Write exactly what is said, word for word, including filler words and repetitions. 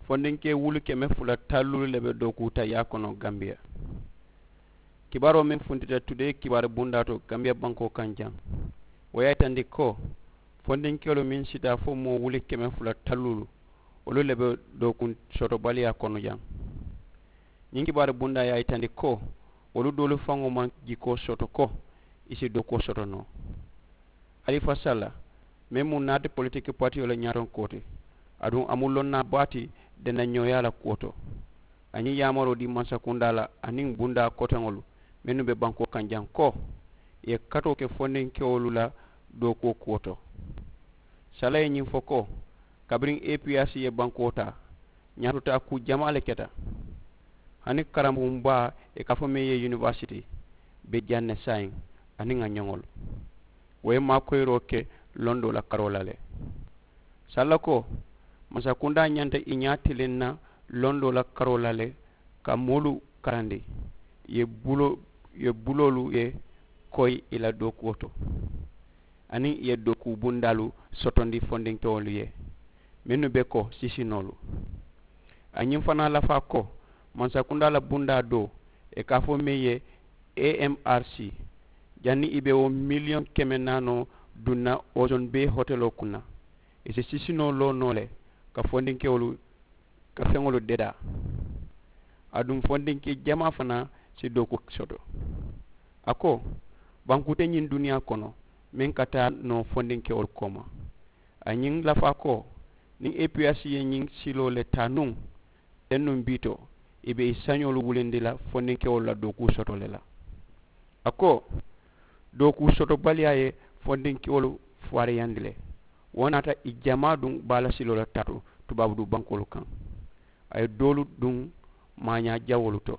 Fondinkee wulu keme fula talluulu le be dookuuta yaa kono gambiya. Kibaaroo meŋ funtita tudee kibaari bundaa to gambiya bankoo kaŋ jaŋ, wo ye a yitandi ko fondinkeelu meŋ sita fo moo wuli keme fula talluulu wolu le be dookuŋ sotobaliyaa kono jaŋ. Ñiŋ kibaari bundaa ye a yitandi ko wolu doolu faŋo maŋ jikoo soto ko i si dookuwo soto noo. Halifa salla meŋ mu naati politiki patiyoo le ñaatonkoo ti, aduŋ a mu lonnaa baa ti dendañooyaa la kuwo to. A ñiŋ yaamaroo dii mansakundaa la aniŋ bundaa koteŋolu mennu be bankoo kaŋ jaŋ ko i ye katoo ke fondinkewolu la dookuwo kuwo to. Salla ye ñiŋ fo ko kabiriŋ epiyaasi ye bankoo taa ñaatotaa kuu jamaa le keta. Hani karambuŋ baa ye ka fo meŋ ye yunivaasiti be jaŋ ne saayiŋ aniŋ a ñoŋolu wo ye maakoyiroo ke londoo la karoo la le. Salla ko mansakundaa ñanta i ñaa tiliŋ na londoo la karoo la le ka moolu karandi i ye buloolu ye koyi i la dookuwo to aniŋ i ye dookuu bundaalu sotondi fondinkewolu ye mennu be ko sisinoolu. A ñiŋ fanaa lafaa ko mansakundaa la bundaa doo i ka a fo meŋ ye amrc janniŋ i be wo miliyoŋ keme naanoo duŋ na ozone bay hoteloo kuŋ na i si sisinoo loo noo le ka fondinkewolu ka feŋolu dedaa. Aduŋ fondinkee jamaa fanaa si dookuwo soto. A ko bankuu te ñiŋ duniyaa kono meŋ ka taa noo fondinkewolu kooma. A ñiŋ lafaa ko niŋ epiyaasi ye ñiŋ siloo le taa nuŋ teŋ nuŋ bii to i be i sañoolu wulindi la fondinkewolu la dookuu soto le la. A ko dookuu sotobaliyaa ye fondinkewolu faariyandi le. Wo naata i jamaa duŋ baala siloo la taa to tubaabu duu bankoolu kaŋ. A ye doolu duŋ maañaa jawoolu to.